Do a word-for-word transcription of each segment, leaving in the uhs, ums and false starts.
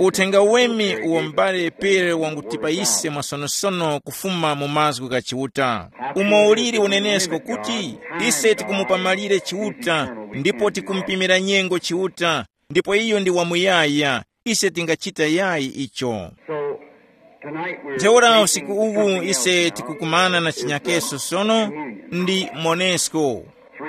Uthenga wemi uwo m'bale Pere wangutipa ise mwasonosono kufuma mu mazgu gha Chiuta. Umo uliri unenesko kuti ise tikumupa malire Chiuta, ndipo tikumupimira nyengo Chiuta, ndipo iyo ndi wamuyaya, ise tingachita yayi icho. So, tonight we're Ntheura usiku uwu ise tikukumana na chinyakeso sono ndi Monesco.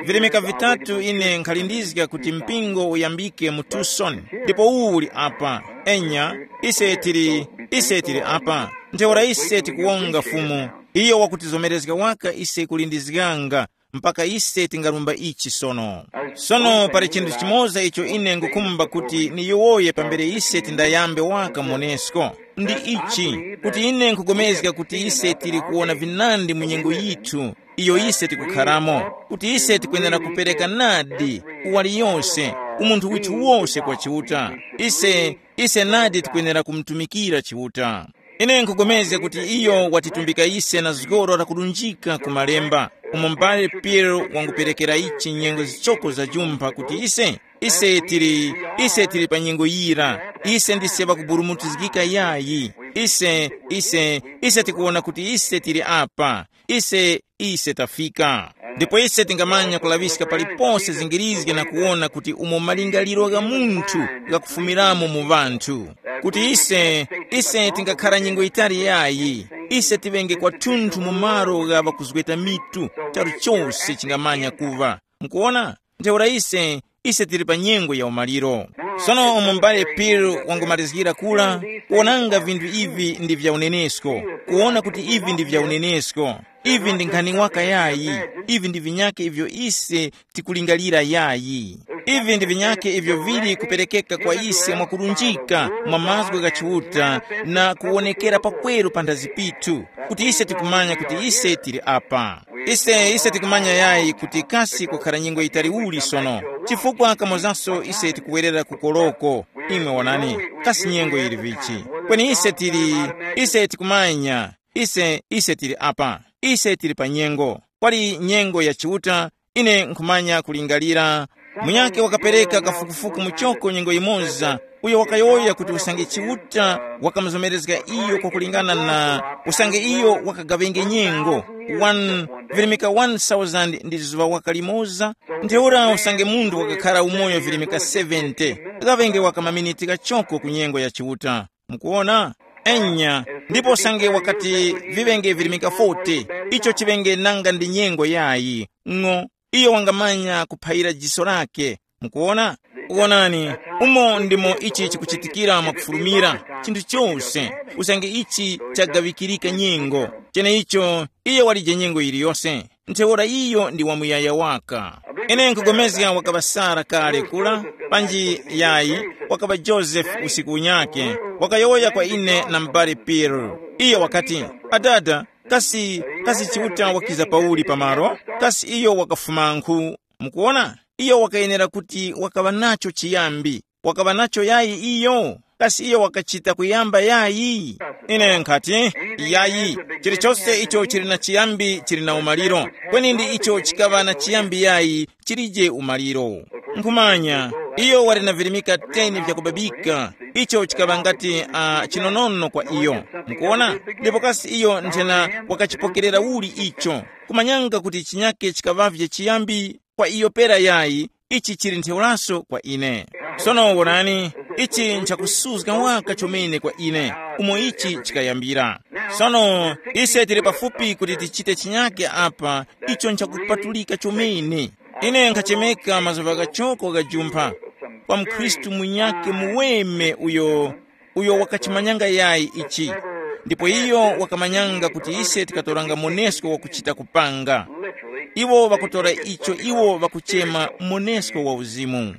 Vilemeka vitatu ine nkhalindizga kuti mpingo uyambike mu Tucson, ndipo uwu uli apa. Enya, ise tili, ise tili apa. Ntheura ise tikuwonga Fumu, iyo wakutizomerezga waka ise kulindizganga mpaka ise tingarumba ichi sono. Sono pali chinthu chimoza icho ine ngukhumba kuti niyowoye pambere ise tindayambe waka Monesco. Ndi ichi, kuti ine nkhugomezga kuti ise tili kuwona vinandi mu nyengo yithu iyo ise tikukharamo, kuti ise tikwenera kupereka nadi uwali yose, umunthu withu wose kwa Chiuta. Ise, ise nadi tikwenera kumutumikira Chiuta. Ine nkhupulikana kuti iyo watitumbika ise na zgoro lakulunjika ku Malemba, umo m'bale Piero wanguperekera ichi nyengo zichoko za jumpha kuti ise, ise tili, ise tili pa nyengo yira, ise ndise ŵakuburumutizgika yayi, ise, ise, ise tikuwona kuti ise tili apa, ise, ise tafika. Ndipo ise tingamanya kulaŵiska palipose zingirizge na kuwona kuti umo malingaliro gha munthu ghakufumiramo mu ŵanthu, kuti ise, ise tingakhara nyengo yitali yayi, ise tiŵenge kwathunthu mu malo gha ŵakuzgweta mitu, charu chose chingamanya kuŵa. Mukuwona? Ntheura ise, ise tili pa nyengo ya umaliro. Sono umo m'bale Piero wangumarizgira kula, kuwonanga vinthu ivi ndi vya unenesko, kuwona kuti ivi ndi vya unenesko, ivi ndi nkhani waka yayi, ivi ndi vinyake ivyo ise tikulingalira yayi. Ivi ndi vinyake ivyo vili kuperekeka kwa ise mwakurunjika mwa mazgu gha Chiuta na kuwonekera pakweru panthazi pithu, kuti ise tikumanya kuti ise tili apa. Ise, ise tikumanya yayi kuti kasi kukhara nyengo yitali uli sono, chifukwa kamozaso ise tikuwerera ku koloko. Imwe wonani, kasi nyengo yili vichi? Kweni ise tili, ise tikumanya, ise, ise tili apa, ise tili pa nyengo. Kwali nyengo ya Chiuta, ine nkhumanya kulingalira. Munyakhe wakapereka kafukufuku muchoko nyengo yimoza, uyo wakayowoya kuti usange Chiuta wakamuzomerezga iyo kwakulingana na usange iyo wakagawenge nyengo, one, virimika one thousand ndi zuŵa waka limoza, ntheura usange munthu wakakhara umoyo virimika seventy, gawenge waka maminiti ghachoko ku nyengo ya Chiuta. Mukuwona? Enya, ndipo usange wakati viŵenge virimika forty, icho chiŵenge nanga ndi nyengo yayi, ng'o, iyo wangamanya kuphayira jiso lake. Mukuwona? Wonani, umo ndimo ichi chikuchitikira mwakufulumira, chinthu chose, usange ichi chagaŵikirika nyengo, cheneicho, iyo walije nyengo yiliyose. Ntheura iyo ndi wamuyaya waka. Ine nkugomezga wakaŵa Sara kale kula, panji yayi, wakaŵa Joseph usiku unyakhe, wakayowoya kwa ine na m'bale Piero. Iyo wakati, adada, kasi, kasi Chiuta wakiza pauli pamalo? Kasi iyo wakafumankhu? Mukuwona? Iyo wakayenera kuti wakaŵa nacho chiyambi. Wakaŵa nacho yayi iyo? Kasi iyo wakachita kuyamba yayi? Ine nkhati, yayi, chilichose icho chili na chiyambi chili na umaliro, kweni ndi icho chikaŵa na chiyambi yayi chilije umaliro. Nkhumanya, iyo wali na virimika ten vyakubabika, icho chikaŵa ngati uh, chinonono kwa iyo. Mukuona? Ndipo kasi iyo nthena wakachipokerera uli icho? Kumanyanga kuti chinyake chikaŵavye chiyambi kwa iyo pera yayi, ichi chili ntheuraso kwa ine. Sono wonani, ichi nchakusuzga waka chomene kwa ine, umo ichi chikayambira. Sono ise tili pafupi kuti tichite chinyake apa, icho nchakupatulika chomene. Ine nkhachemeka mazuŵa ghachoko ghajumpha kwa mkhristu munyake muweme uyo uyo wakachimanyanga yayi ichi. Ndipo iyo wakamanyanga kuti ise tikatoranga monesko wakuchita kupanga. Iwo ŵakutora icho iwo ŵakuchema monesko wa uzimu.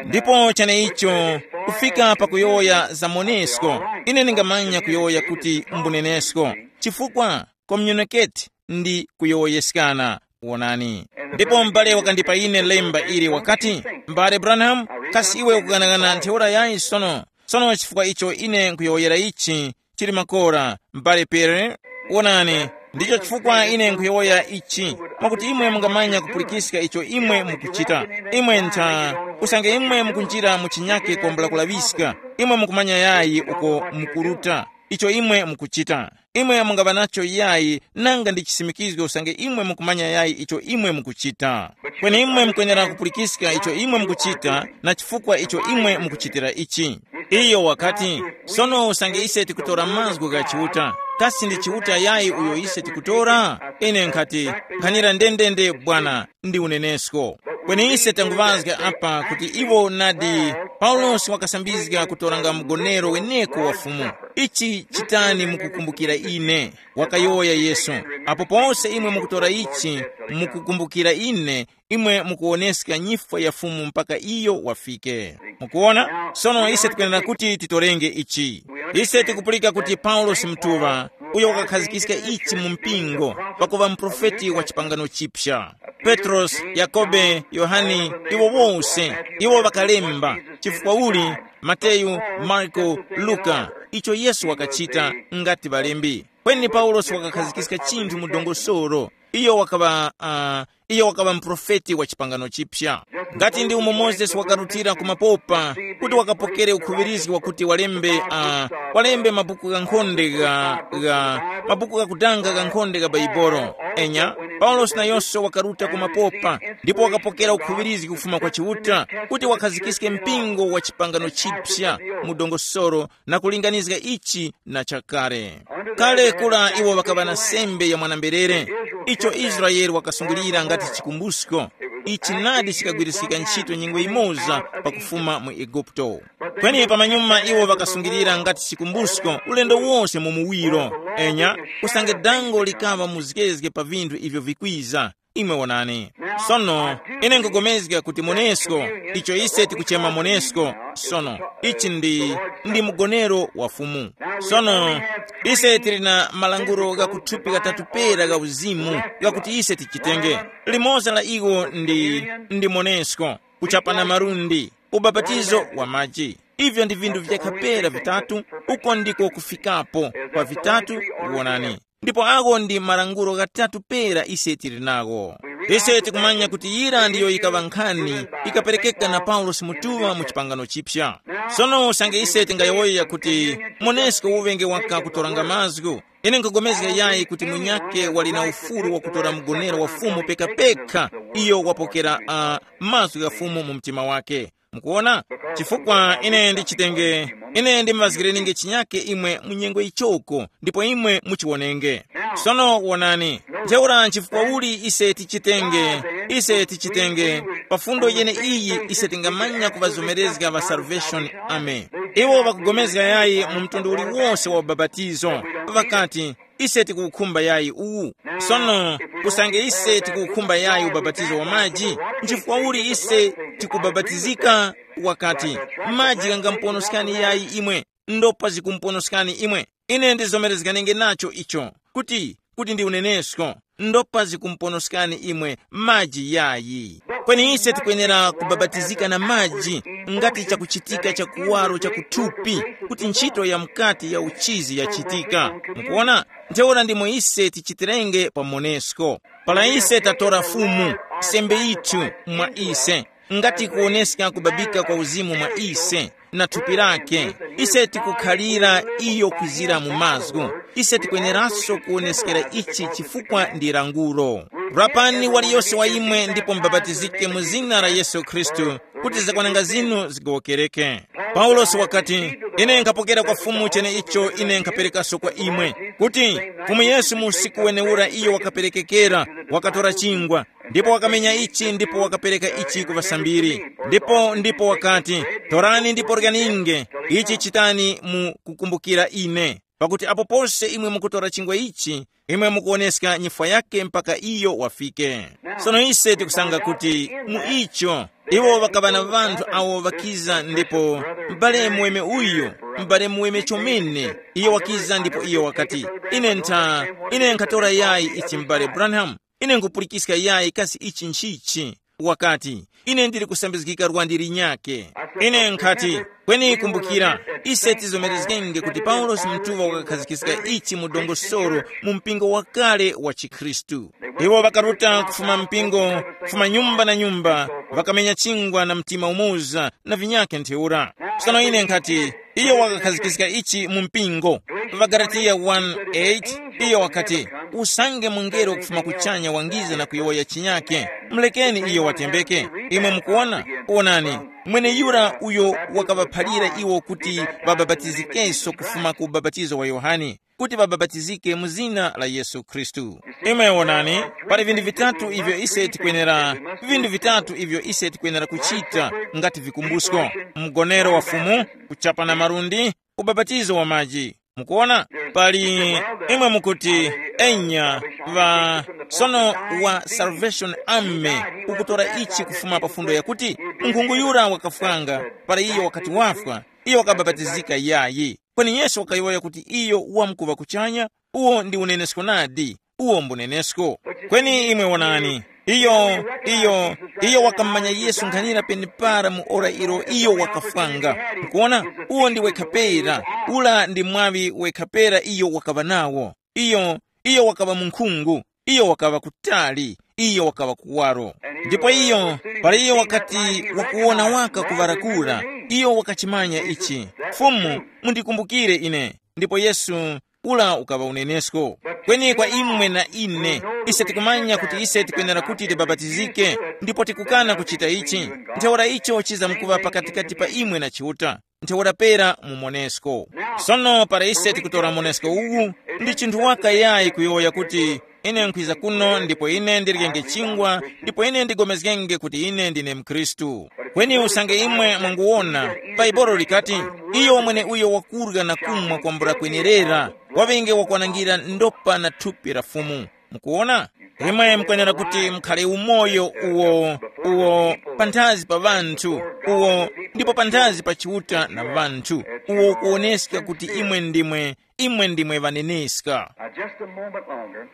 Ndipo cheneicho, kufika pakuyowoya za monesko, ine ndingamanya kuyowoya kuti mbunenesko, chifukwa communicate ndi kuyowoyeskana. Wonani. Ndipo m'bale wakandipa ine lemba ili wakati, m'bale Branham, kasi iwe ukughanagana ntheura yayi sono? Sono chifukwa icho ine nkuyowoyera ichi, chili makora, m'bale Pere, wonani, Ndicho chifukwa ine nkhuyowoya ichi, mwakuti imwe mungamanya kupulikiska icho imwe mukuchita. Imwe ntha, usange imwe mukunjira mu chinyake kwambula kulaŵiska, imwe mukumanya yayi uko mukuruta icho imwe mukuchita. Imwe mungaŵa nacho yayi nanga ndi chisimikizgo usange imwe mukumanya yayi icho imwe mukuchita. Kweni imwe mukwenera kupulikiska icho imwe mukuchita, na chifukwa icho imwe mukuchitira ichi. Iyo wakati, sono usange ise tikutora mazgu gha Chiuta, kasi ndi Chiuta yayi uyo ise tikutora? Ine nkhati, nkhanira ndendende bwana, ndi unenesko. Kweni ise tanguŵazga apa kuti iwo nadi, Paulosi wakasambizga kutoranga mgonero weneko wa Fumu. Ichi chitani mukukumbukira ine, wakayowoya Yesu. Apo pose imwe mukutora ichi, mukukumbukira ine, imwe mukuwoneska nyifwa ya Fumu mpaka iyo wafike. Mukuona? Sono ise tikwenera kuti titorenge ichi. Ise tikupulika kuti Paulosi mutuŵa, uyo wakakhazikiska ichi mu mpingo, pakuŵa muprofeti wa chipangano chipsa. Petrosi, Yakobe, Yohane, iwo wose, iwo ŵakalemba, chifukwa uli, Mateyu, Marko, Luka, icho Yesu wakachita, ngati ŵalembi. Kweni Paulosi wakakhazikiska chinthu mu dongosolo. Iyo wakaŵa uh, iyo wakaŵa muprofeti wa chipangano chipya. Ngati ndi umo Mozesi wakarutira ku mapopa, kuti wakapokere ukhuŵirizgi wakuti walembe uh, walembe mabuku ghankhonde ga, ga mabuku ghakudanga ghankhonde ga Baibolo. Enya, Paulosi nayonso wakaruta ku mapopa, ndipo wakapokera ukhuŵirizgi kufuma kwa Chiuta, kuti wakhazikiske mpingo wa chipangano chipya mu dongosolo, na kulinganizga ichi na chakale. Kale kura iwo ŵakaŵa na sembe ya mwana-mberere, icho Israele wakasungilira ngati chikumbusko. Ichi nadi chikagwiriskika ntchito nyengo imoza pakufuma mu Eguputo. Kweni pamanyuma iwo ŵakasungilira ngati chikumbusko ulendo wose mu muwiro. Enya, usange dango likaŵa muzgezge pa vinthu ivyo vikwiza, imwe wonani. Sono, ine nkugomezga kuti monesko, icho ise tikuchema monesko, sono, ichi ndi, ndi mgonero wa Fumu. Sono, ise tili na malangulo gha kuthupi ghatatu pera gha uzimu, ghakuti ise tichitenge. Limoza la iwo ndi, ndi monesko, kuchapana malundi, ubapatizo wa maji. Ivyo ndi vinthu vyekha pera vitatu, uko ndiko kufikapo kwa vitatu, wonani. Ndipo agho ndi malangulo ghatatu pera ise tili nagho. Ise tikumanya kuti yira ndiyo yikaŵa nkhani ikaperekeka na Paulosi mutuŵa mu chipangano chipya. Sono usange ise tingayowoya kuti monesko uŵenge waka kutoranga mazgu, ine nkugomezga yayi kuti munyakhe wali na ufulu wakutora mgonero wa Fumu pekapekha iyo wapokera uh, mazgu gha Fumu mu mtima wake. Mukuona? Chifukwa ine ndichitenge, ine ndimuŵazgireninge chinyake imwe mu nyengo ichoko, ndipo imwe muchiwonenge. Sono wonani, ntheura nchifukwa uli ise tichitenge, ise tichitenge, pa fundo yene iyi ise tingamanya kuŵazomerezga ŵa Salvation Army. Iwo ŵakugomezga yayi mu mtundu uliwose wa ubapatizo. Ŵakati, ise tikuwukhumba yayi uwu. Sono, usange ise tikuwukhumba yayi ubapatizo wa maji, nchifukwa uli ise tikubapatizika? Wakati, maji ghangamuponoskani yayi imwe, ndopa zikumponoskani imwe. Ine ndizomerezganenge nacho icho, kuti, kuti ndi unenesko, ndopa zikumponoskani imwe maji yayi. Kweni ise tikwenera kubabatizika na maji ngati chakuchitika cha kuwaro cha kuthupi, kuti ntchito ya mukati ya uchizi yachitika. Mukuona? Ntheura ndimo ise tichitirenge pa monesko. Para ise tatora Fumu, sembe yithu mwa ise, ngati kuwoneska kubabika kwa uzimu mwa ise, na thupi lake, ise tikukhalira iyo kwizira mu mazgu. Ise tikweneranso kuwoneskera ichi chifukwa ndi languro. Rapani waliyose wa imwe ndipo mubapatizike mu zina la Yesu Khristu, kuti zakwananga zinu zigowokereke. Paulosi wakati, ine nkhapokera kwa Fumu cheneicho ine nkhaperekaso kwa imwe, kuti Fumu Yesu mu usiku wenewura iyo wakaperekekera, wakatora chingwa, ndipo wakamenya ichi ndipo wakapereka ichi ku ŵasambiri. Ndipo ndipo wakati, torani ndipo ryaninge, ichi chitani mu kukumbukira ine. Pakuti apo pose imwe mukutora chingwa ichi, imwe mukuwoneska nyifwa yake mpaka iyo wafike. Sono ise tikusanga kuti mu icho, iwo ŵakaŵa na ŵanthu awo ŵakiza ndipo, m'bale muweme uyu, m'bale muweme chomene, iyo wakiza ndipo iyo wakati, ine ntha, ine nkhatora yayi ichi m'bale Branham, ine nkhupulikiska yayi kasi ichi nchichi. wakati, ine ndili kusambizgika lwandi linyakhe. Ine nkhati, kweni kumbukira, ise tizomerezgenge kuti Paulosi munthuwa wakakhazikika ichi mu dongosolo mu mpingo wakale wa chikhristu. Iwo ŵakaruta kufuma mpingo, kufuma nyumba na nyumba, ŵakamenya chingwa na mtima umoza na vinyakhe ntheura. Sono ine nkhati, iyo wakakhazikika ichi mu mpingo. Pa Galatiya one eight, iyo wakati, usange mungelo kufuma kuchanya wangiza na kuyowoya chinyakhe, mulekeni iyo watembeke. Imwe mukuwona? Wonani, mweneyura uyo wakaŵaphalira iwo kuti ŵabapatizikenso kufuma ku ubapatizo wa Yohane, kuti ŵabapatizike mu zina la Yesu Khristu. Imwe wonani, pali vinthu vitatu ivyo ise tikwenera, vinthu vitatu ivyo ise tikwenera kuchita ngati vikumbusko: mgonero wa Fumu, kuchapana malundi, ubapatizo wa maji. Mukuona? Pali imwe mukuti, enya, va sono wa Salvation Army ukutora ichi kufuma pa fundo yakuti, nkhungu yura wakafwanga, para iyo wakati wafwa, iyo wakabapatizika yayi. Kweni Yesu wakayowoya kuti iyo wamkuŵa kuchanya, uwo ndi unenesko nadi, uwo mbunenesko. Kweni imwe wonani, iyo, iyo, iyo wakamanya Yesu nkhanira penepara mu ora ilo iyo wakafwanga. Mukuona, uwo ndi wekha pera, ula ndi mwaŵi wekha pera iyo wakaŵa nawo. Iyo, iyo wakaŵa munkhungu, iyo wakaŵa kutali, iyo wakaŵa kuwaro. Ndipo iyo, para iyo wakati wakuwona waka kuŵarakura, iyo wakachimanya ichi, Fumu, mundikumbukire ine. Ndipo Yesu, ula ukaŵa unenesko. Kweni kwa imwe na ine, ise tikumanya kuti ise tikwenera kuti tibapatizike, ndipo tikukana kuchita ichi, ntheura icho chizamkuŵa pakatikati pa imwe na Chiuta, ntheura pera mumonesko. Sono para ise tikutora monesko uwu, ndi chinthu waka yayi kuyowoya kuti, ine nkhwiza kuno ndipo ine ndiryenge chingwa, ndipo ine ndigomezgenge kuti ine ndine mkhristu. Kweni usange imwe mwanguwona, Baibolo likati, iyo mweneuyo wakurya na kumwa kwambula kwenerera, waŵenge wakwanangira ndopa na thupi la Fumu. Mukuwona? Imwe mukwenera kuti mukhale umoyo uwo, uwo panthazi pa ŵanthu, uwo ndipo panthazi pa Chiuta na ŵanthu, uwo ukuwoneska kuti imwe ndimwe, imwe ndimwe ŵaneneska. Now, just a moment longer.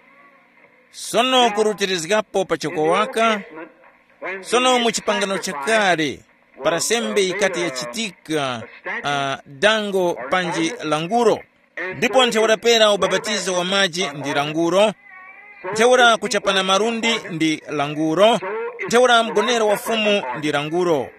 Sono kurutirizgapo pachoko waka. Sono mu chipangano chakale, para sembe yikati yachitika, uh, dango panji languro. Ndipo ntheura pera ubapatizo wa maji ndi languro, ntheura kuchapana malundi ndi languro, ntheura mgonero wa Fumu ndi languro.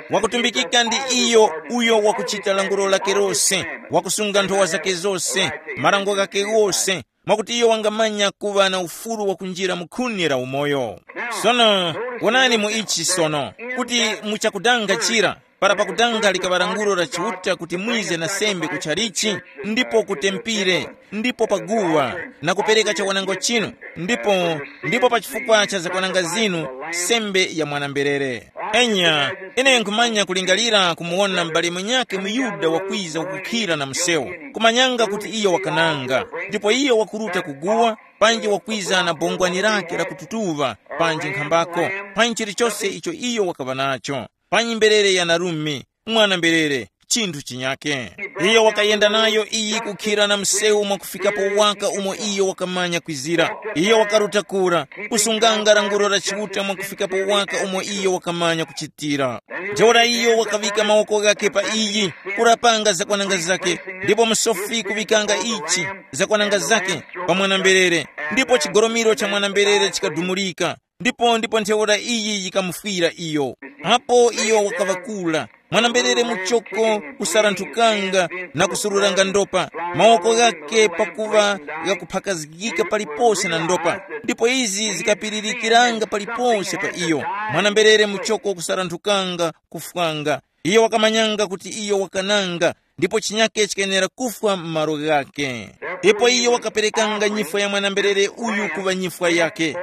Wakutumbikika ndi iyo uyo wakuchita languro lake lose, wakusunga nthowa zake zose, marango ghake ghose, mwakuti iyo wangamanya kuŵa na ufulu wakunjira mu khuni la umoyo. Sono, wonani mu ichi sono, kuti muchakudanga chira, para pakudanga likaŵa lankhulo la Chiuta kuti mwize na sembe kutchalichi, ndipo ku tempire, ndipo pa guwa, na kupereka chakwananga chinu, ndipo, ndipo pa chifukwa cha zakwananga zinu, sembe ya mwana-mberere. Enya, ine nkhumanya kulingalira kumuwona m'bale mwenyakhe muYuda wakwiza kukhira na msewu, kumanyanga kuti iyo wakananga, ndipo iyo wakuruta kuguwa, panji wakwiza na bongwani lake la kututuŵa, panji nkhambako, panji chilichose icho iyo wakaŵa nacho, panji mberere ya narume, mwana-mberere, chinthu chinyake. Iyo wakayenda nayo iyi kukhira na msewu mwakufikapo waka umo iyo wakamanya kwizira. Iyo wakaruta kura, kusunganga lankhulo la Chiuta mwakufikapo waka umo iyo wakamanya kuchitira. Ntheura iyo wakaŵika mawoko ghake pa iyi, kurapanga zakwananga zake, ndipo musofi kuŵikanga ichi, zakwananga zake, pa mwana-mberere, ndipo chigolomiro cha mwana-mberere chikadumulika. Ndipo, ndipo ntheura iyi yikamufwira iyo. Apo iyo wakaŵa kura, mwana-mberere muchoko kusaranthukanga na kusururanga ndopa, mawoko ghake pakuŵa ghakuphakazgika palipose na ndopa, ndipo izi zikapiririkiranga palipose pa iyo. Mwana-mberere muchoko kusaranthukanga kufwanga. Iyo wakamanyanga kuti iyo wakananga, ndipo chinyake chikayenera kufwa m'malo ghake. Ndipo iyo wakaperekanga nyifwa ya mwana-mberere uyu kuŵa nyifwa yake.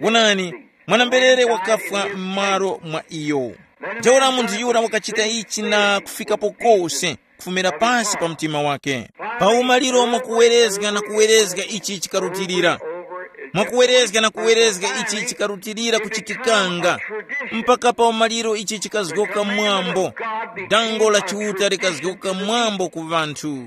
Wonani, mwana-mberere wakafwa m'malo mwa iyo. Ntheura munthu yura wakachita ichi na kufikapo kose, kufumira pasi pa mtima wake. Pa umaliro mwakuwerezga na kuwerezga ichi chikarutilira. Mwakuwerezga na kuwerezga ichi chikarutilira kuchitikanga, mpaka pa umaliro ichi chikazgoka mwambo, dango la Chiuta likazgoka mwambo ku ŵanthu.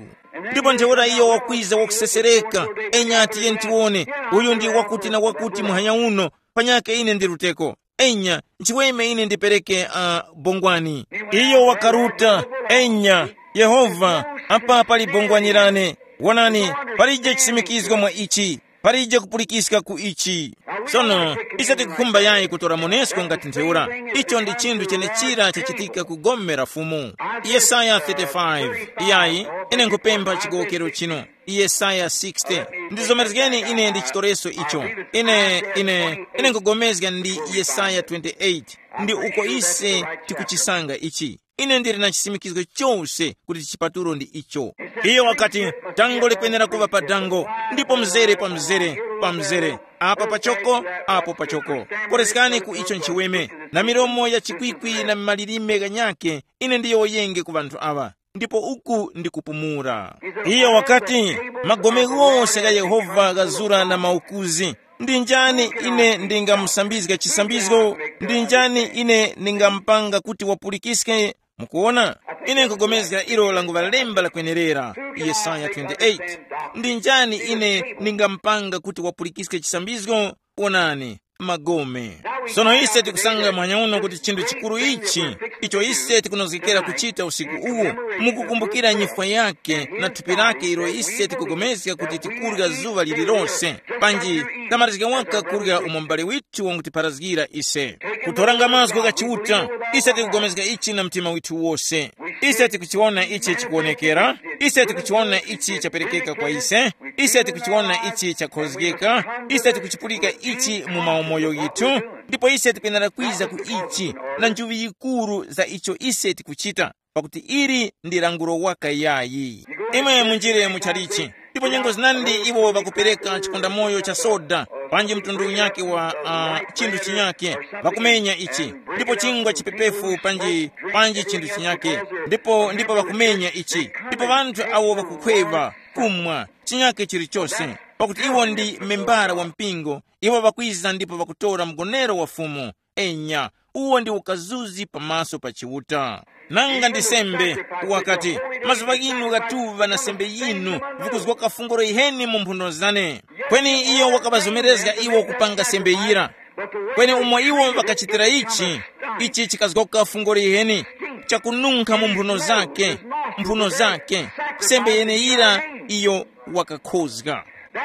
Ndipo ntheura iyo wakwiza wakusesereka, enya ati, yentiwone, uyu ndi wakuti na wakuti muhanya uno, panyakhe ine ndi luteko. Enya, nchiweme ine ndipereke uh, bongwani. Iyo wakaruta. Enya, Yehova, apa pali bongwani lane. Wonani, palije chisimikizgo mwa ichi, palije kupulikiska ku ichi. Sono ise tikukhumba yayi kutora monesko ngati ntheura. Icho ndi chinthu chenechira chachitika ku gome la Fumu. Yesaya thirty-five. Iyayi, ine nkupempha chigowokero chino. Yesaya sixty. Ndizomerezgeni ine ndi chitoreso icho. Ine ine ine nkugomezga ndi Yesaya twenty-eight. Ndi uko ise tikuchisanga ichi. Ine ndili na chisimikizgo chose kuti chipatulo ndi icho. Iyo wakati, dango likwenera kuŵa pa dango, ndipo mzere pa mzere, pa mzere, apa pachoko, apo pachoko. Koreskani ku icho nchiweme, na milomo ya chikwikwi na malilime ghanyake. Ine ndiyowoyenge ku ŵanthu aŵa, ndipo uku ndi kupumula. Iyo wakati, magome ghose gha Yehova ghazura na maukuzi. Ndi njani ine ndingamusambizga chisambizgo? Ndi njani ine ndingamupanga kuti wapulikiske? Mukuona, ine nkugomezga ilo languŵa lemba lakwenerera. Yesaya twenty-eight. Ndi njani ine ndingamupanga kuti wapulikiske chisambizgo? Wonani, magome. Sono ise tikusanga mwanya uno kuti chinthu chikuru ichi, icho ise tikunozgekera kuchita usiku uwu, mukukumbukira nyifwa yake na thupi lake ilo ise tikugomezga kuti tikurya zuŵa lililose, panji tamalizika waka kurya umo m'bale withu wangutipharazgira ise. Kutoranga mazgu gha Chiuta, ise tikugomezga ichi na mtima withu wose. Ise tikuchiwona ichi chikuwonekera, ise tikuchiwona ichi chaperekeka kwa ise, ise tikuchiwona ichi chakhozgeka, ise tikuchipulika ichi mu maumoyo yithu, ndipo ise tikwenera kwiza ku ichi na njuŵi yikuru za icho ise tikuchita, pakuti ili ndi languro waka yayi. Imwe munjire mu chalichi, ndipo nyengo zinandi iwo ŵakupereka chikondamoyo cha soda, panji mtundu unyake wa uh, chinthu chinyake, ŵakumenya ichi, ndipo chingwa chipepefu panji panji chinthu chinyake, ndipo ndipo ŵakumenya ichi, ndipo ŵanthu awo ŵakukhweva, kumwa, chinyake chilichose, pakuti iwo ndi membara wa mpingo. Iwo ŵakwiza ndipo ŵakutora mgonero wa Fumu. Enya, uwo ndi ukazuzi pamaso pa Chiuta. Nanga ndi sembe, wakati, mazuŵa ghinu ghatuŵa na sembe yinu, vikuzgoka funguro yiheni mu mphuno zane. Kweni iyo wakaŵazomerezga iwo kupanga sembe yira. Kweni umo iwo ŵakachitira ichi, ichi chikazgoka fungolo yiheni, chakununkha mu mphuno zake, mphuno zake, sembe yeneyira iyo wakakhozga.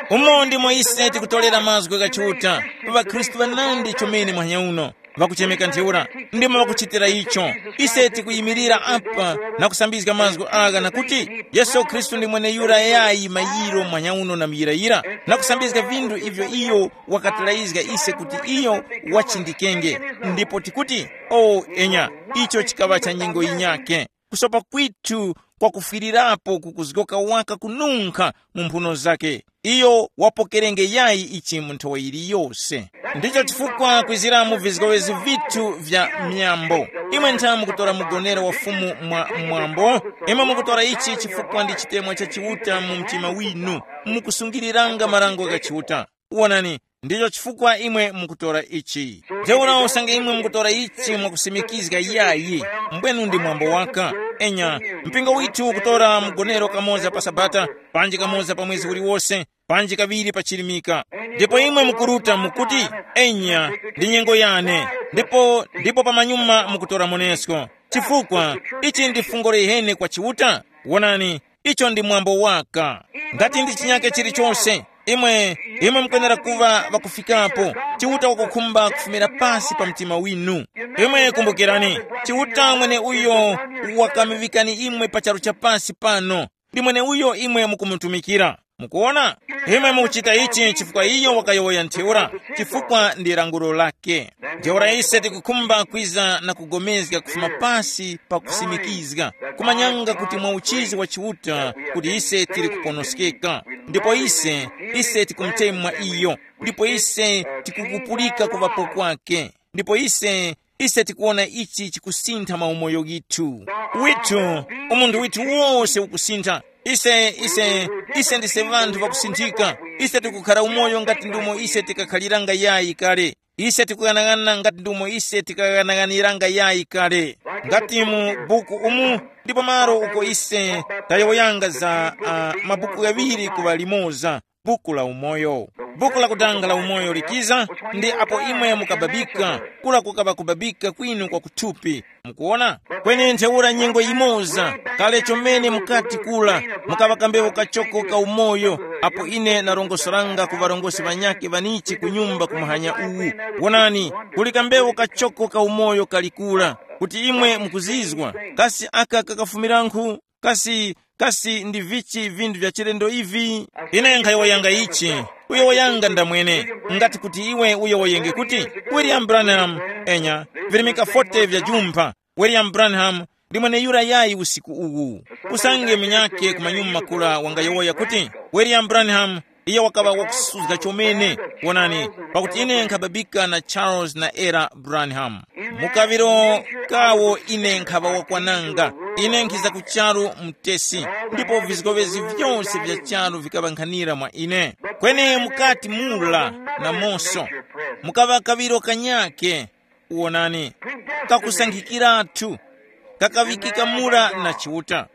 Umo ndimo ise tikutolera mazgu gha Chiuta, ŵakhristu ŵanandi chomene mwanya uno, ŵakuchemeka ntheura, ndimo ŵakuchitira icho. Ise tikuyimirira apa na kusambizga mazgu agha na kuti, Yesu Khristu ndi mweneyura yayi mayiro mwanya uno na muyirayira, na kusambizga vinthu ivyo iyo wakatilayizga ise kuti iyo wachindikenge. Ndipo tikuti, o enya, icho chikaŵa cha nyengo yinyakhe. Kusopa kwithu kwakufwirirapo kukuzgoka waka kununkha mu mphuno zakhe. Iyo wapokerenge yayi ichi mu nthowa yiliyose. Ndicho chifukwa kwizira mu vizgowezi vithu vya myambo, imwe ntha mukutora mugonero wa Fumu mwa mwambo. Imwe mukutora ichi chifukwa ndi chitemwa cha Chiuta mu mtima winu, mukusungiriranga marango gha Chiuta. Wonani, ndicho chifukwa imwe mukutora ichi. Ntheura usange imwe mukutora ichi mwakusimikizga yayi, mbwenu ndi mwambo waka. Enya, mpingo withu ukutora mgonero kamoza pa Sabata, panji kamoza pa mwezi uliwose, panji kaŵiri pa chilimika. Ndipo imwe mukuruta mukuti, enya, ndi nyengo yane. Ndipo ndipo pamanyuma mukutora monesko. Chifukwa ichi ndi fungo liheni kwa Chiuta. Wonani, icho ndi mwambo waka. Ngati ndi chinyake chilichonse, imwe imwe mukwenera kuŵa ŵakufikapo. Chiuta wakukhumba kufumira pasi pa mtima winu. Imwe kumbukirani, Chiuta mwene uyo wakamuŵikani imwe pa charu cha pasi pano, ndi mwene uyo imwe mukumutumikira. Mukuona, imwe mukuchita ichi chifukwa iyo wakayowoya ntheura, chifukwa ndi lankhulo lake. Ntheura ise tikukhumba kwiza na kugomezga kufuma pasi pa kusimikizga, kumanyanga kuti mwa uchizi wa Chiuta kuti ise tili kuponoskeka. Ndipo ise ise tikumutemwa iyo, ndipo ise tikukupulika kuŵapo kwake. Ndipo ise ise tikuwona ichi chikusintha maumoyo ghithu. Withu, umunthu withu wose ukusintha. Ise ise ise ndise vanthu vakusinthika. Ise tikukhara umoyo ngati ndumo ise tikakhaliranga yayi kale. Ise tikughanaghanana ngati ndumo ise tikaghanaghaniranga yayi kale. Ngati mu buku umu ndipo malo uko ise tayowoyanga za uh, mabuku ghaŵiri kuŵa limoza. buku la umoyo. Buku lakutanga la umoyo likiza, ndi apo imwe mukababika, kula kukaŵa kubabika kwinu kwa kuthupi. Mukuona? Kweni ntheura nyengo yimoza, kale chomene mukati kula, mukaŵa kambewu kachoko ka umoyo, apo ine narongosanga ku ŵarongozgi ŵanyakhe ŵanichi ku nyumba ku muhanya uwu. Wonani, kuli kambewu kachoko ka umoyo kali kula, kuti imwe mukuzizwa, kasi aka kakafumirankhu? Kasi, kasi ndi vichi vinthu vya chilendo ivi? Ine nkhayowoyanga ichi, uyowoyanga ndamwene, ngati kuti iwe uyowoyenge kuti, William Branham, enya, virimika forty vya jumpha, William Branham ndi mweneyura yayi usiku uwu. Usange munyakhe ku manyuma kura wangayowoya kuti, William Branham, iye wakaŵa wakusuzga chomene. Wonani, pakuti ine nkhababika na Charles na Era Branham. Mu kaŵiro kawo ine nkhaŵa wakwananga. Ine nkhiza ku charu mutesi, ndipo vizgowezi vyose vya charu vikaŵankhanira mwa ine. Kweni mukati mura namonso mukaŵa kaŵiro kanyake, wonani, kakusankhikiratu, kakaŵikika mura na Chiuta.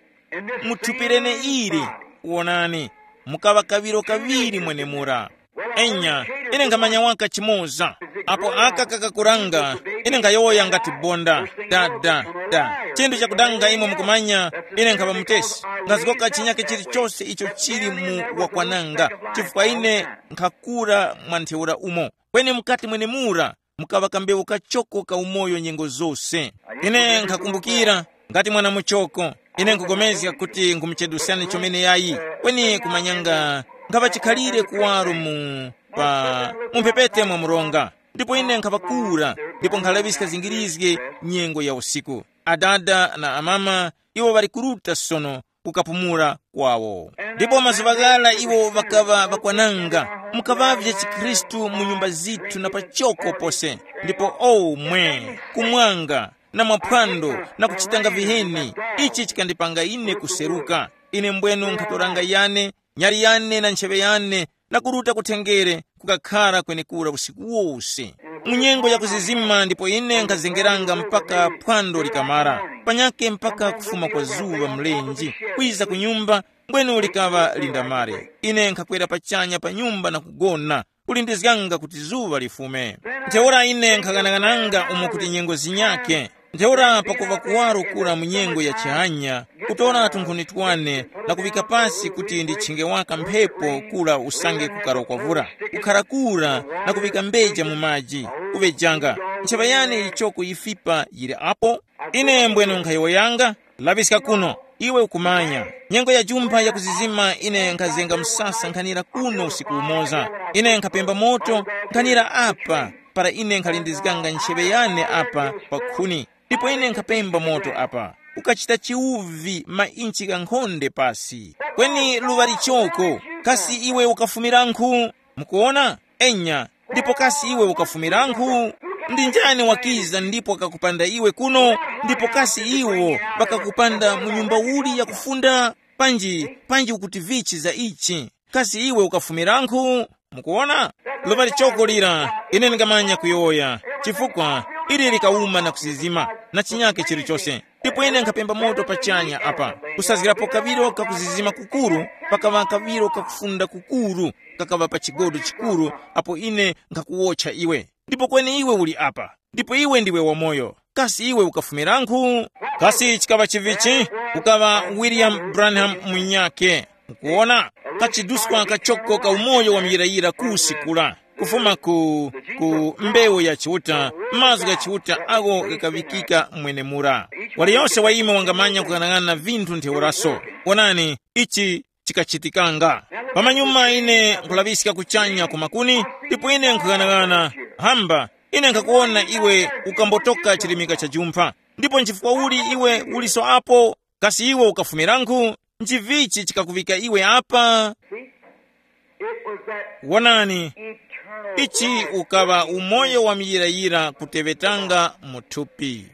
Mu thupi lene ili, wonani, mukaŵa kaŵiro kaŵiri mwenemura. Enya, ine nkhamanya waka chimoza. Apo aka kakakuranga, ine nkhayowoya ngati bonda, da da da. Chinthu chakudanga imwe mukumanya, ine nkhaŵa mutesi. Ngazgoka chinyake chilichose icho chili mu wakwananga, chifukwa ine nkhakura mwa ntheura umo. Kweni mukati mwenemura mukaŵa kambewu kachoko ka umoyo nyengo zose. Ine nkhakumbukira, ngati mwana muchoko, ine nkupulikana kuti nkhumuchedweskani chomene yayi, kweni kumanyanga nkhaŵa chikhalire kuwaro mu pa mu mphepete mwa mronga. Ndipo ine nkhaŵakura, ndipo nkhalaŵiska zingirizge nyengo ya usiku. Adada na amama iwo ŵali kuruta sono kukapumula kwawo. Ndipo mazuŵa ghara iwo ŵakaŵa ŵakwananga, mukaŵavye chikhristu mu nyumba zithu na pachoko pose. Ndipo o mwe, kumwanga, na mwaphwando, na kuchitanga viheni, ichi chikandipanga ine kuseruka. Ine mbwenu nkhatoranga yane, nyali yane na ntcheŵe yane, na kuruta kutengere, kukakhara kwenekura usiku wose. Mu nyengo ya kuzizima ndipo ine nkhazengeranga mpaka phwando likamara, panyake mpaka kufuma kwa zuŵa mlenji, kwiza ku nyumba, mbwenu likaŵa lindamare. Ine nkhakwera pachanya pa nyumba na kugona, kulindizganga kuti zuŵa lifume. Ntheura ine nkhaghanaghananga umo kuti nyengo zinyake. Ntheura pakuŵa kuwaro kura mu nyengo ya chihanya, kutora tunkhuni twane na kuŵika pasi kuti ndichinge waka mphepo kura usange kukarokwa vura, kukhara kura na kuŵika mbeja mu maji, kuŵejanga. Ncheŵa yane yichoko yifipa yili apo? Ine mbwenu nkhayowoyanga, laŵiska kuno, iwe ukumanya. Nyengo ya jumpha ya kuzizima ine nkhazenga msasa nkhanira kuno usiku umoza. Ine nkhapemba moto nkhanira apa, para ine nkhalindizganga ncheŵe yane apa pa khuni. Ndipo ine nkhapemba moto apa, ukachita chiwuvi mainchi ghankhonde pasi. Kweni luŵa lichoko, kasi iwe ukafumirankhu? Mukuwona? Enya, ndipo kasi iwe ukafumirankhu? Ndi njani wakiza ndipo wakakupanda iwe kuno? Ndipo kasi iwo ŵakakupanda mu nyumba uli yakufunda? Panji, panji ukuti vichi za ichi? Kasi iwe ukafumirankhu? Mukuwona? Luŵa lichoko lira, ine ndingamanya kuyowoya, chifukwa ili likawuma na kusizima, na chinyake chilichose. Ndipo ine nkhapemba moto pachanya apa, kusazgirapo kaŵiro kakuzizima kukuru, pakaŵa kaŵiro kakufunda kukuru, kakaŵa pa chigodo chikuru, apo ine nkhakuwotcha iwe. Ndipo kweni iwe uli apa, ndipo iwe ndiwe wamoyo. Kasi iwe ukafumirankhu? Kasi chikaŵa chivichi? Ukaŵa William Branham munyakhe. Mukuwona? Kachiduskwa kachoko ka umoyo wa muyirayira kusi kula, kufuma ku, ku mbewu ya Chiuta, mazgu gha Chiuta agho ghakaŵikika mwenemura. Waliyose wa imwe wangamanya kughanag'ana vinthu ntheuraso. Wonani, ichi chikachitikanga. Pamanyuma ine nkulaŵiska kuchanya ku makuni, ndipo ine nkughanag'ana, hamba, ine nkhakuwona iwe ukambotoka chirimika cha jumpha. Ndipo nchifukwa uli iwe uliso apo? Kasi iwe ukafumirankhu? Nchivichi chikakuŵika iwe apa? Wonani, ichi ukaŵa umoyo wa muyirayira kuteŵetanga mu thupi.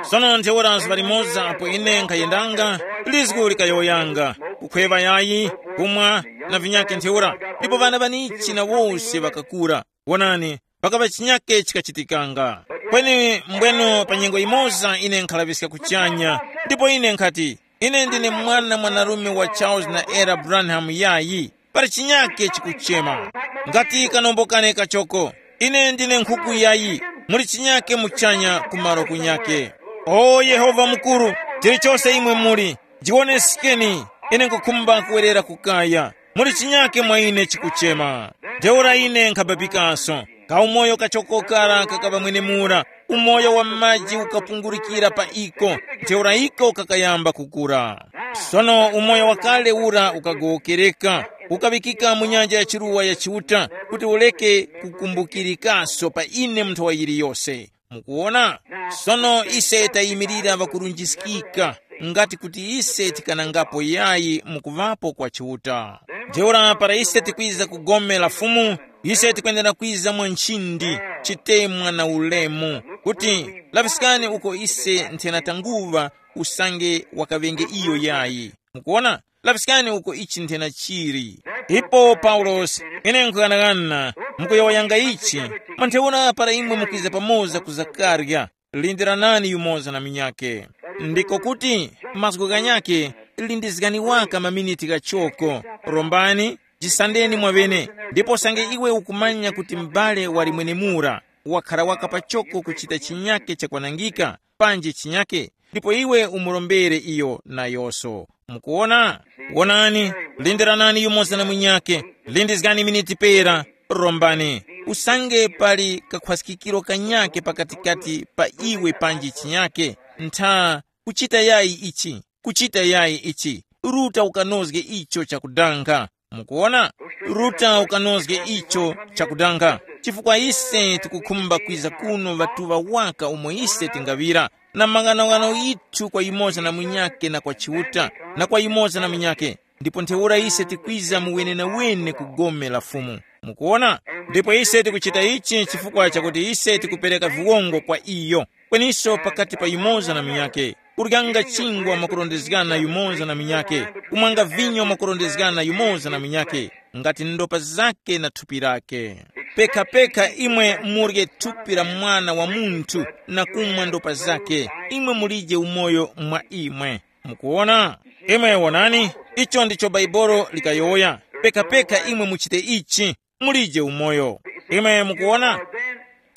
Sono ntheura zuŵa limoza apo ine nkhayendanga, lizgu likayowoyanga, kukhweŵa yayi, kumwa, na vinyakhe ntheura, ndipo ŵana ŵanichi na wose ŵakakura. Wonani, pakaŵa chinyakhe chikachitikanga. Kweni mbweno pa nyengo yimoza ine nkhalaŵiska kuchanya, ndipo ine nkhati, ine ndine mwana mwanarume wa Charles na Era Branham yayi. Pali chinyake chikuchema. Ngati kanombo kane kachoko. Ine ndine nkhuku yayi. Muli chinyake muchanya kumaro kunyake. O Yehova mukuru, chilichose imwe muli, jiwonesekeni. Ine nkukhumba kuwerera kukaya. Muli chinyake mwa ine chikuchema. Ntheura ine nkhabapikanso. Kaumoyo kachokokara kakaba mwenemura. Umoyo wa maji ukapungurikira pa iko. Ntheura iko kakayamba kukura. Sono umoyo wakale ura ukagowokereka, ukaŵikika mu nyanja ya chiruwa ya Chiuta, kuti ureke kukumbukirikaso pa ine mu nthawa yiliyose. Mukuwona? Sono ise tayimirira ŵakurunjiskika, ngati kuti ise tikanangapo yayi mu kuŵapo kwa Chiuta. Ntheura para ise tikwiza ku gome la Fumu, ise tikwenera kwiza mwa nchindi, chitemwa na ulemu, kuti, laŵiskani uko ise nthena tanguŵa, usange wakaŵenge iyo yayi. Mukuwona? Laŵiskani uko ichi nthena chili. Ipo Paulosi, ine nkughanagana, mukuyowoyanga ichi, mwa ntheura para imwe mukwiza pamoza ku zakarya, lindiranani yumoza na munyakhe. Ndiko kuti, mazgu ghanyakhe, lindizgani waka maminiti ghachoko, rombani, jisandeni mwaŵene, ndipo usange iwe ukumanya kuti m'bale wali mwenemura, wakhara waka pachoko kuchita chinyakhe chakwanangika, panji chinyakhe, ndipo iwe umurombere iyo nayoso. Mukuwona? Wonani, lindiranani yumoza na munyakhe, lindizgani miniti pera, rombani. Usange pali kakhwaskikiro kanyakhe pakatikati pa iwe panji chinyakhe, ntha, kuchita yayi ichi, kuchita yayi ichi, ruta ukanozge icho chakudanga. Mukuwona? Ruta ukanozge icho chakudanga, chifukwa ise tikukhumba kwiza kuno ŵatuŵa waka umo ise tingaŵira, na maghanoghano yithu kwa yumoza na munyakhe na kwa Chiuta, na kwa yumoza na munyakhe, ndipo ntheura ise tikwiza mu wenenawene ku gome la Fumu. Mukuwona? Ndipo ise tikuchita ichi chifukwa chakuti ise tikupereka viwongo kwa iyo, kweniso pakati pa yumoza na munyakhe, kuryanga chingwa mwakurondezgana yumoza na munyakhe, kumwanga vinyo mwakurondezgana yumoza na munyakhe, ngati ndopa zake na thupi lake. Pekha-pekha imwe murye thupi la Mwana wa Munthu na kumwa ndopa zake, imwe mulije umoyo mwa imwe. Mukuwona? Imwe wonani, icho ndicho Baibolo likayowoya. Pekha-pekha imwe muchite ichi, mulije umoyo. Imwe mukuwona?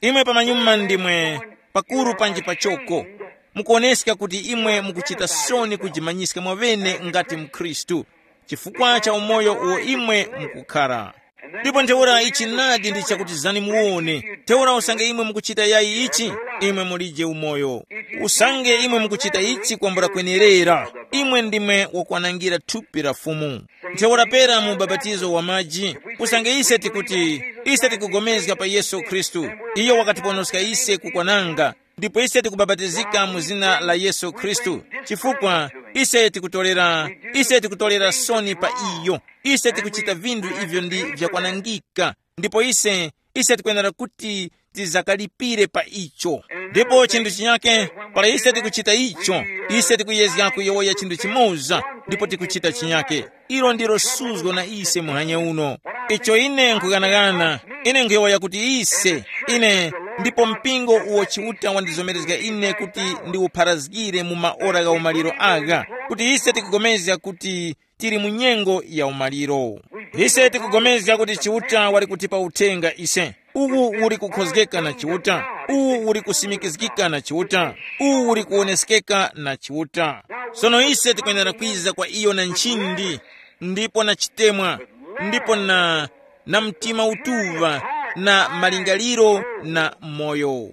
Imwe pamanyuma ndimwe pakuru panji pachoko. Mukuwoneska kuti imwe mukuchita soni kujimanyiska mwaŵene ngati mkhristu, chifukwa cha umoyo uwo imwe mukukhara. Ndipo ntheura ichi nadi ndi chakuti zani muwone, ntheura usange imwe mukuchita yayi ichi, imwe mulije umoyo. Usange imwe mukuchita ichi kwambula kwenerera, imwe ndimwe wakwanangira thupi la Fumu. Ntheura pera mu ubapatizo wa maji, usange ise tikuti, ise tikugomezga pa Yesu Khristu, iyo wakatiponoska ise kukwananga, ndipo ise tikubapatizika mu zina la Yesu Khristu, chifukwa ise tikutolera, ise tikutolera soni pa iyo. Ise tikuchita vinthu ivyo ndi vyakwanangika, ndipo ise, ise tikwenera kuti tizakalipire pa icho. Ndipo chinthu chinyake, para ise tikuchita icho, ise tikuyezga kuyowoya chinthu chimoza, ndipo tikuchita chinyake. Ilo ndilo suzgo na ise muhanya uno. Icho ine nkughanagana, ine nkhuyowoya kuti ise, ine, ndipo mpingo uwo Chiuta wandizomerezga ine kuti ndiwupharazgire mu maora gha umaliro agha, kuti ise tikugomezga kuti tili mu nyengo ya umaliro. Ise tikugomezga kuti Chiuta wali kutipa uthenga ise. Uwu uli kukhozgeka na Chiuta, uwu uli kusimikizgika na Chiuta, uwu uli kuwoneskeka na Chiuta. Sono ise tikwenera kwiza kwa iyo na nchindi, ndipo na chitemwa, ndipo na, na mtima utuŵa, na malingaliro na moyo.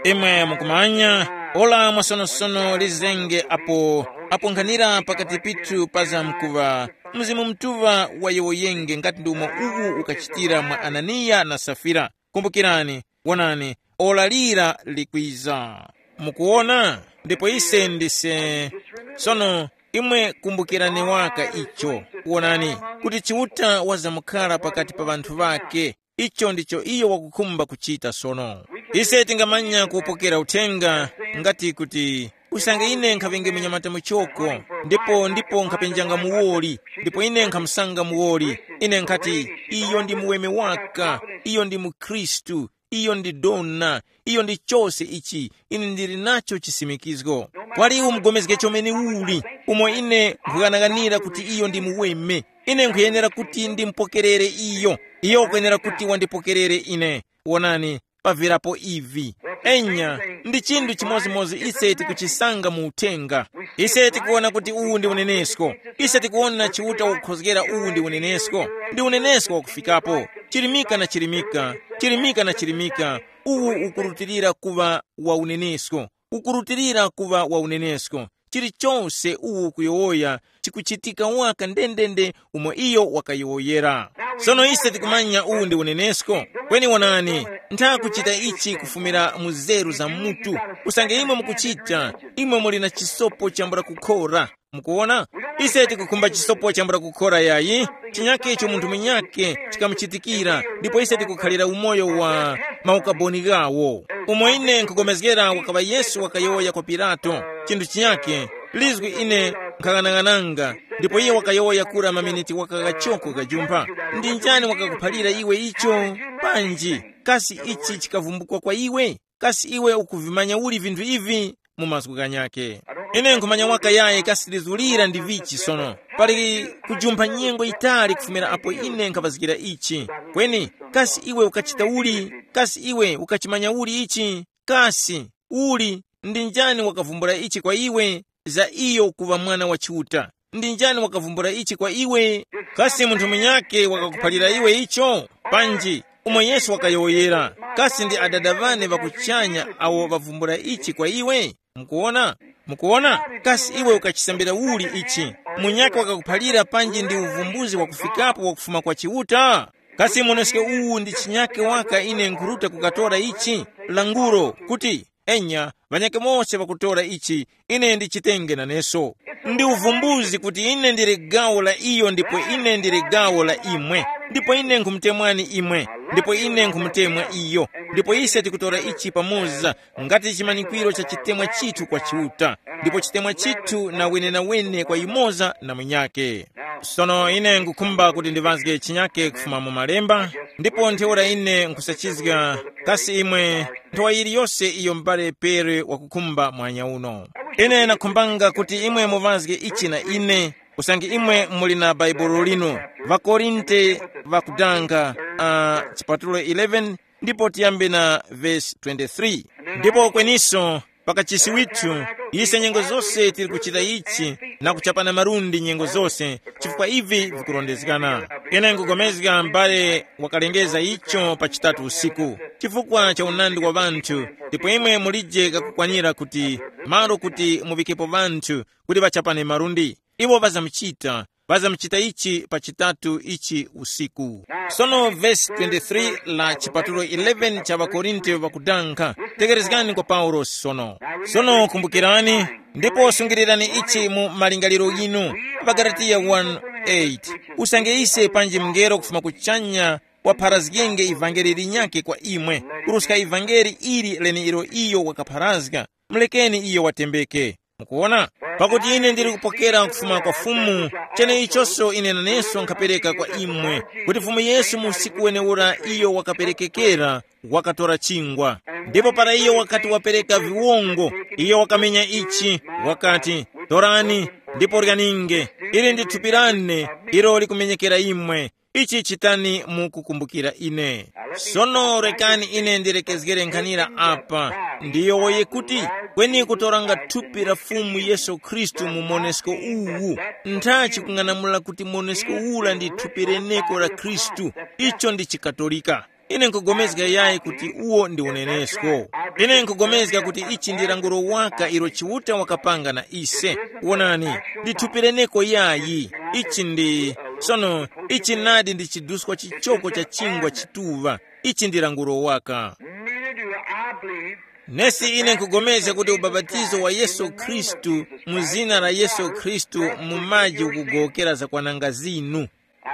Imwe mukumanya, ora mwasonosono lizenge apo, apo nkhanira pakati pithu pa zamkuŵa, Mzimu Mutuŵa wayowoyenge ngati ndi umo uwu ukachitira mwa Ananiya na Safira. Kumbukirani, wonani, ora lira likwiza. Mukuwona? Ndipo ise ndise. Sono, imwe kumbukirani waka icho. Wonani, kuti Chiuta wazamkhala pakati pa ŵanthu ŵake. Icho ndicho iyo wakukhumba kuchita sono. Ise tingamanya kupokera uthenga, ngati kuti, usange ine nkhaŵenge munyamata muchoko, ndipo, ndipo nkhapenjanga muwoli, ndipo ine nkhamusanga muwoli, ine nkhati, iyo ndi muweme waka, iyo ndi mukhristu, iyo ndi dona, iyo ndi chose ichi. Ine ndili nacho chisimikizgo. Kwali iwo mugomezge chomene uli, umo ine nkhughanaghanira kuti iyo ndi muweme. Ine nkhuyenera kuti ndimupokerere iyo. Iyo wakwenera kuti wandipokerere ine. Wonani, pavirapo ivi. Enya, ndi chinthu chimodzimodzi ise tikuchisanga mu uthenga. Ise tikuwona kuti uwu ndi unenesko. Ise tikuwona Chiuta wakukhozgera uwu ndi unenesko. Ndi unenesko wakufikapo. Chilimika na chilimika, chilimika na chilimika, uwu ukurutilira kuŵa wa unenesko. Ukurutilira kuŵa wa unenesko. Chilichose uwu ukuyowoya chikuchitika waka ndendende umo iyo wakayowoyera. Sono ise tikumanya uwu ndi unenesko. Kweni wonani, ntha kuchita ichi kufumira mu zeru za mutu. Usange imwe mukuchita, imwe muli na chisopo chambula kukhora. Mukuwona? Ise tikukhumba chisopo chambula kukhora yayi, chinyake icho munthu munyake chikamuchitikira, ndipo ise tikukhalira umoyo wa maukaboni ghawo. Umo ine nkupulikana wakaŵa Yesu wakayowoya kwa Pilato, chinthu chinyake, lizwi ine nkhang'anang'ananga, ndipo iye wakayowoya kura maminiti waka ghachoko ghajumpha. Ndi njani wakakuphalira iwe icho? Panji, kasi ichi chikavumbukwa kwa iwe? Kasi iwe ukuvimanya uli vinthu ivi? Mu mazgu ghanyakhe, ine nkhumanya waka yayi kasi lizulira ndi vichi sono. Pali kujumpha nyengo yitali kufumira apo ine nkhaŵazgira ichi. Kweni, kasi iwe ukachita uli? Kasi iwe ukachimanya uli ichi? Kasi uli ndi njani wakavumbula ichi kwa iwe? Za iyo kuŵa mwana wa Chiuta, ndi njani wakavumbula ichi kwa iwe? Kasi munthu munyakhe wakakuphalira iwe icho? Panji, umo Yesu wakayowoyera, kasi ndi Adada ŵane ŵa kuchanya awo ŵavumbula ichi kwa iwe? Mukuwona? Mukuwona? Kasi iwe ukachisambira uli ichi? Munyakhe wakakuphalira panji ndi uvumbuzi wakufikapo wakufuma kwa Chiuta? Kasi muneske uwu ndi chinyakhe waka ine nkhuruta kukatora ichi? Languro, kuti, enya, ŵanyakhe mose ŵakutora ichi, ine ndichitenge naneso. Ndi uvumbuzi kuti ine ndili gawo la iyo ndipo ine ndili gawo la imwe, ndipo ine nkhumutemwani imwe, ndipo ine nkhumutemwa iyo, ndipo ise tikutora ichi pamoza ngati chimanyikwiro cha chitemwa chithu kwa Chiuta, ndipo chitemwa chithu na wenenawene kwa yumoza na munyakhe. Sono ine nkukhumba kuti ndiŵazge chinyakhe kufuma mu Malemba, ndipo ntheura ine nkusachizga kasi imwe nthowa yiliyose iyo m'bale Pere wakukhumba mwanya uno. Ine nakhumbanga kuti imwe muŵazge ichi na ine, usange imwe muli na Baibulo linu, ŵaKorinte ŵakudanga, uh, chipatulo eleven, ndipo tiyambe na vesi twenty-three. Ndipo kweniso, pakachisi withu, ise nyengo zose tili kuchita ichi na kuchapana malundi nyengo zose, chifukwa ivi vikurondezgana. Ine nkugomezga m'bale wakalengeza icho pa chitatu usiku, chifukwa cha unandi wa ŵanthu, ndipo imwe mulije kakukwanira kuti malo kuti muvikepo ŵanthu kuti ŵachapane malundi. Iwo ŵazamuchita, ŵazamuchita ichi pa chitatu ichi usiku. Sono vesi twenty-three la chipatulo eleven cha ŵaKorinte ŵakudanga, tekerezgani kwa Paulosi sono. Sono kumbukirani, ndipo sungilirani ichi mu malingaliro ghinu, ŵaGalatiya one eight, usange ise panji mngelo kufuma kuchanya wapharazgenge ivangeli linyakhe kwa imwe, kuruska ivangeli ili leneilo iyo wakapharazga, mulekeni iyo watembeke. Mukuwona? Pakuti ine ndili kupokera kufuma kwa Fumu, cheneichoso ine naneso nkhapereka kwa imwe, kuti Fumu Yesu mu usiku wenewura iyo wakaperekekera, wakatora chingwa. Ndipo para iyo wakati wapereka viwongo, iyo wakamenya ichi, wakati, torani, ndipo ryaninge, ili ndi thupi lane, ilo likumenyekera imwe. Ichi chitani mu kukumbukira ine. Sono rekani ine ndirekezgere nkhanira apa. Ndiyowoye kuti, kweni kutoranga thupi la Fumu Yesu Khristu mu monesko uwu, ntha chikung'anamula kuti monesko ula ndi thupi leneko la Khristu. Icho ndi chikatolika. Ine nkugomezga yayi kuti uwo ndi unenesko. Ine nkugomezga kuti ichi ndi langulo waka ilo Chiuta wakapanga na ise. Wonani, ndi thupi leneko yayi. Ichi ndi, sono, ichi nadi ndi chiduskwa chichoko cha chingwa chituŵa. Ichi ndi langulo waka. Neither do I believe. Nesi ine nkugomezga kuti ubapatizo wa Yesu Khristu mu zina la Yesu Khristu mu maji ukugowokera zakwananga zinu.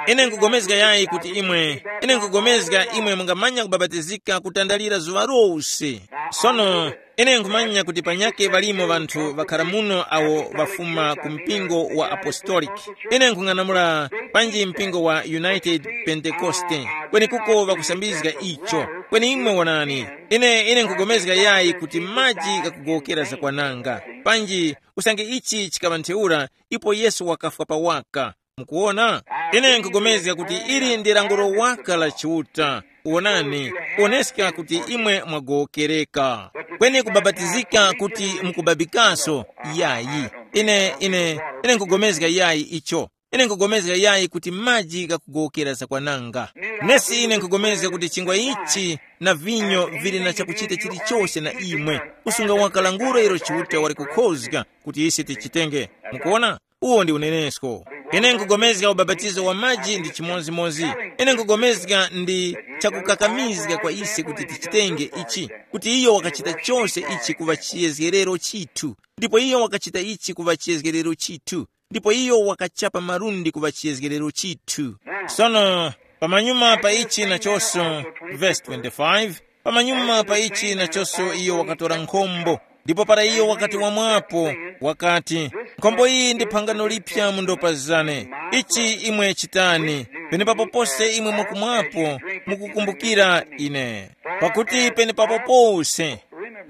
Ine nkugomezga yayi kuti imwe, ine nkugomezga imwe mungamanya kubabatizika kutandalira zuŵa lose. Sono, ine nkhumanya kuti panyake ŵalimo ŵanthu ŵakhara muno awo ŵafuma ku mpingo wa Apostolic. Ine nkhung'anamula panji mpingo wa United Pentecoste, kwenekuko ŵakusambizga icho. Kweni imwe wonani, ine ine nkhugomezga yayi kuti maji ghakugowokera zakwananga. Panji, usange ichi chikaŵa ntheura, ipo Yesu wakafwa pawaka. Mukuwona? Ine nkugomezga kuti ili ndi languro waka la Chiuta. Wonani, kuwoneska kuti imwe mwagowokereka. Kweni kubapatizika kuti mukubabikaso? Yayi. Ine, ine, ine nkugomezga yayi icho. Ine nkugomezga yayi kuti maji ghakugowokera zakwananga. Nesi ine nkugomezga kuti chingwa ichi na vinyo vili na chakuchita chilichose na imwe. Usunga waka languro ilo Chiuta wali kukhozga kuti ise tichitenge. Mukuwona? Uwo ndi unenesko. Ine nkugomezga ubapatizo wa maji ndi chimodzimodzi. Ine nkugomezga ndi chakukakamizga kwa ise kuti tichitenge ichi, kuti iyo wakachita chose ichi kuŵa chiyezgerero chithu, ndipo iyo wakachita ichi kuŵa chiyezgerero chithu, ndipo iyo wakachapa malundi kuŵa chiyezgerero chithu. Sono, pamanyuma pa ichi nachonso, verse twenty-five, pamanyuma pa ichi nachonso iyo wakatora nkhombo, ndipo para iyo wakati wamwapo, wakati, nkhombo iyi ndi phangano liphya mu ndopa zane. Ichi imwe chitani, penepapo pose imwe mukumwapo, mukukumbukira ine. Pakuti penepapo pose,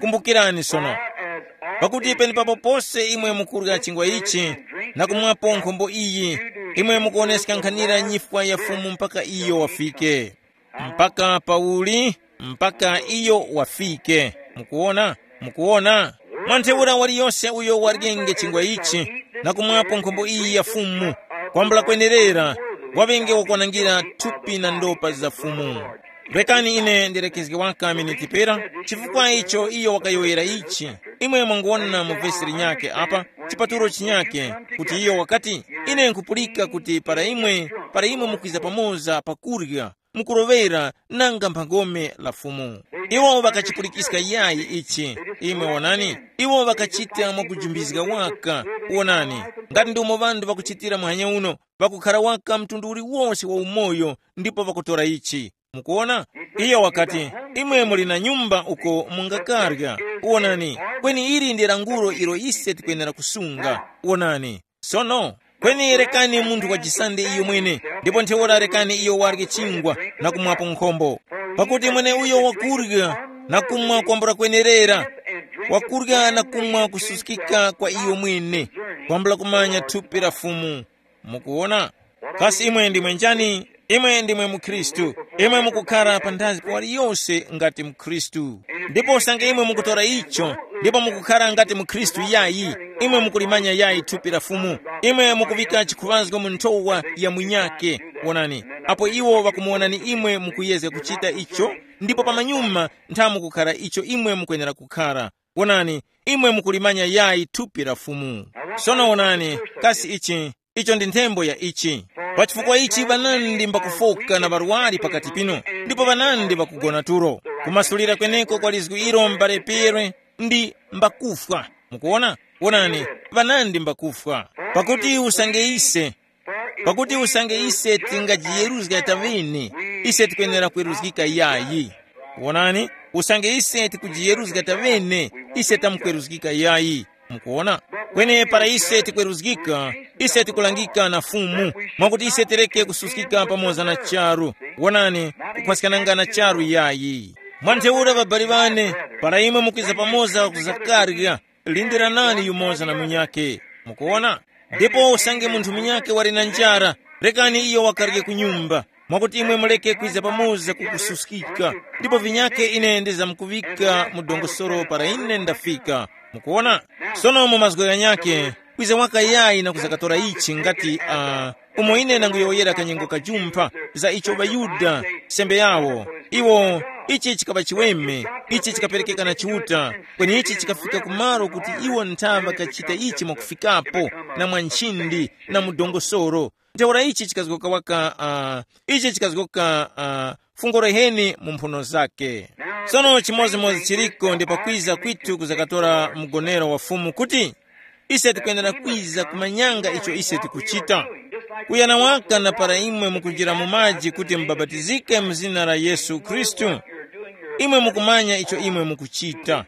kumbukirani sono, pakuti penepapo pose imwe mukurya chingwa ichi na kumwapo nkhombo iyi, imwe mukuoneska nkhanira nyifwa ya Fumu mpaka iyo wafike. Mpaka pauli? Mpaka iyo wafike. Mukuona? Mukuona? Mwa ntheura waliyose uyo waryenge chingwa ichi na kumwapo nkhombo iyi ya Fumu, kwambula kwenerera, waŵenge wakwanangira thupi na ndopa za Fumu. Rekani ine ndirekezge waka miniti pera, chifukwa icho iyo wakayowoyera ichi. Imwe mwanguwona mu vesi linyakhe apa, chipatulo chinyakhe, kuti iyo wakati, ine nkupulika kuti para imwe, para imwe mukwiza pamoza pakurya, mukuloŵera nanga mphangome la Fumu. Iwo ŵakachipulikiska yayi ichi. Imwe wonani, iwo ŵakachita mwakujumbizga waka. Wonani, ngati ndi umo ŵanthu ŵakuchitira muhanya uno, ŵakukhara waka mtundu uliwose wa umoyo, ndipo ŵakutora ichi. Mukuona? Iyo wakati, imwe muli na nyumba uko mungakarya. Wonani, kweni ili ndi lankhulo ilo ise tikwenera kusunga. Wonani, sono, kweni rekani munthu wajisande iyo mwene, ndipo ntheura rekani iyo warye chingwa na kumwapo nkhombo. Pakuti mweneuyo wakurya na kumwa kwambula kwenerera, wakurya na kumwa kususkika kwa iyo mwene, kwambula kumanya thupi la Fumu. Mukuona? Kasi imwe ndimwe njani? Imwe ndimwe mukhristu. Imwe mukukhara panthazi pa waliyose ngati mukhristu. Ndipo usange imwe mukutora icho, ndipo mukukhara ngati mukhristu yayi, imwe mukulimanya yayi thupi la Fumu. Imwe mukuŵika chikhuŵazgo mu nthowa ya munyake. Wonani, apo iwo ŵakumuwonani imwe mukuyezga kuchita icho, ndipo pamanyuma ntha mukukhara icho imwe mukwenera kukhara. Wonani, imwe mukulimanya yayi thupi la Fumu. Sono wonani, kasi ichi, icho ndi nthembo ya ichi. Pa chifukwa ichi ŵanandi mbakufoka na ŵarwari pakati pinu, ndipo ŵanandi ŵakugona tulo. Kumasulira kweneko kwa lizgu ilo m'bale Pierre ndi mbakufwa. Mukuona? Wonani, ŵanandi mbakufwa. Pakuti usange ise, pakuti usange ise tingajiyeruzga taŵene, ise tikwenera kweruzgika yayi. Wonani, usange ise tikujiyeruzga taŵene, ise tamkweruzgika yayi. Mukuona? Kweni para ise tikweruzgika, ise tikulangika na Fumu, mwakuti ise tireke kususkika pamoza na charu. Wonani, kukhwaskana na charu yayi. Mwa ntheura ŵabali ŵane, para imwe mukwiza pamoza kuzakarya, lindiranani yumoza na munyakhe. Mukuona? Ndipo usange munthu munyakhe wali na njara, rekani iyo wakarye ku nyumba, mwakuti imwe muleke kwiza pamoza kukususkika. Ndipo vinyakhe ine ndizamkuŵika mu dongosolo para ine ndafika. Mukuona? Sono mu mazgu ghanyakhe, kwiza waka yayi na kuzakatora ichi ngati, uh, umo ine ndanguyowoyera kanyengo kajumpha za icho ŵaYuda, sembe yawo, iwo, ichi chikaŵa chiweme, ichi chikaperekeka na Chiuta, kweni ichi chikafika kumalo kuti iwo nthaŵa kachita ichi mwakufikapo, na mwa nchindi, na mu dongosolo. Ntheura ichi chikazgoka waka, uh, ichi chikazgoka, uh, fungo reheni mu mphuno zake. Sono chimodzimodzi chiriko ndi pakwiza kwitu kuzakatora mgonero wa Fumu kuti, Ise tikwenera kwiza kumanyanga icho ise tikuchita. Kuyana waka na para imwe mukunjira mu maji kuti mubabatizike mu zina la Yesu Khristu, imwe mukumanya icho imwe mukuchita.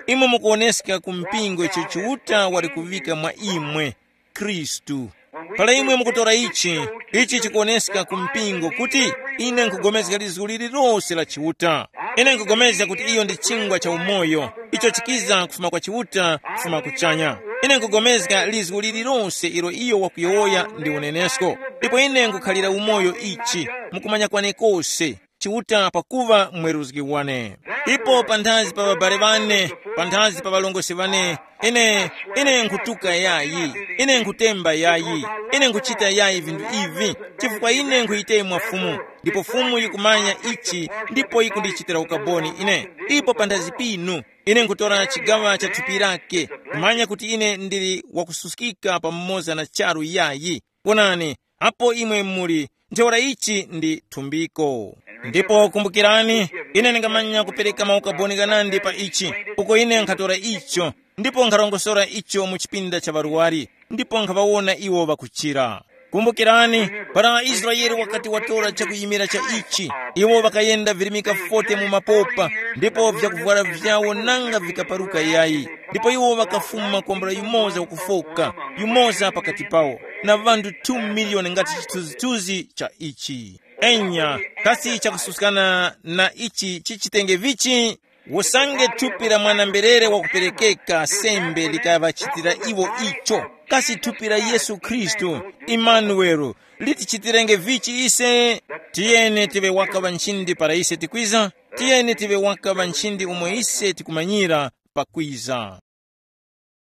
Imwe mukuwoneska ku mpingo icho Chiuta wali kuvika mwa imwe, Khristu. Para imwe mukutora ichi, ichi chikuwoneska ku mpingo kuti ine nkugomezga lizgu lililose la Chiuta. Ine nkugomezga kuti iyo ndi chingwa cha umoyo, icho chikiza kufuma kwa Chiuta, kufuma kuchanya. Ine nkugomezga lizgu lililose ilo iyo wakuyowoya ndi unenesko. Ndipo ine nkukhalira umoyo ichi, mukumanya kwane kose, Chiuta pakuva mweruzgi wane. Ipo panthazi pa ŵabale ŵane, panthazi pa ŵalongosi ŵane, ine, ine nkhutuka yayi, ine nkhutemba yayi, ine nkhuchita yayi vinthu ivi, chifukwa ine nkhuyitema Fumu, ndipo Fumu yikumanya ichi, ndipo yikundichitira ukaboni ine. Ipo panthazi pinu, ine nkhutora chigaŵa cha thupi lake, kumanya kuti ine ndili wakususkika pamoza na charu yayi. Wonani, apo imwe muli, ntheura ichi ndi thumbiko. Ndipo kumbukirani, ine ndingamanya kupereka mawu kaboni ghanandi pa ichi, uko ine nkhatora icho, ndipo nkharongosora icho mu chipinda cha ŵarwari, ndipo nkhaŵawona iwo ŵakuchira. Kumbukirani, para Israele wakati watora chakuyimira cha ichi, iwo ŵakayenda virimika fote mu mapopa, ndipo vyakuvwara vyawo nanga vikaparuka yayi. Ndipo iwo ŵakafuma kwambula yumoza wakufoka, yumoza pakati pawo, na ŵanthu two miliyoni ngati chithunzithunzi cha ichi. Enya, kasi chakususkana na ichi chichitenge vichi? Usange thupi la mwana-mberere wakuperekeka sembe likaŵachitira iwo icho, kasi thupi la Yesu Khristu, Imanuwele, litichitirenge vichi ise? Tiyeni tive waka ŵa nchindi para ise tikwiza, tiyeni tive waka ŵa nchindi umo ise tikumanyira pakwiza.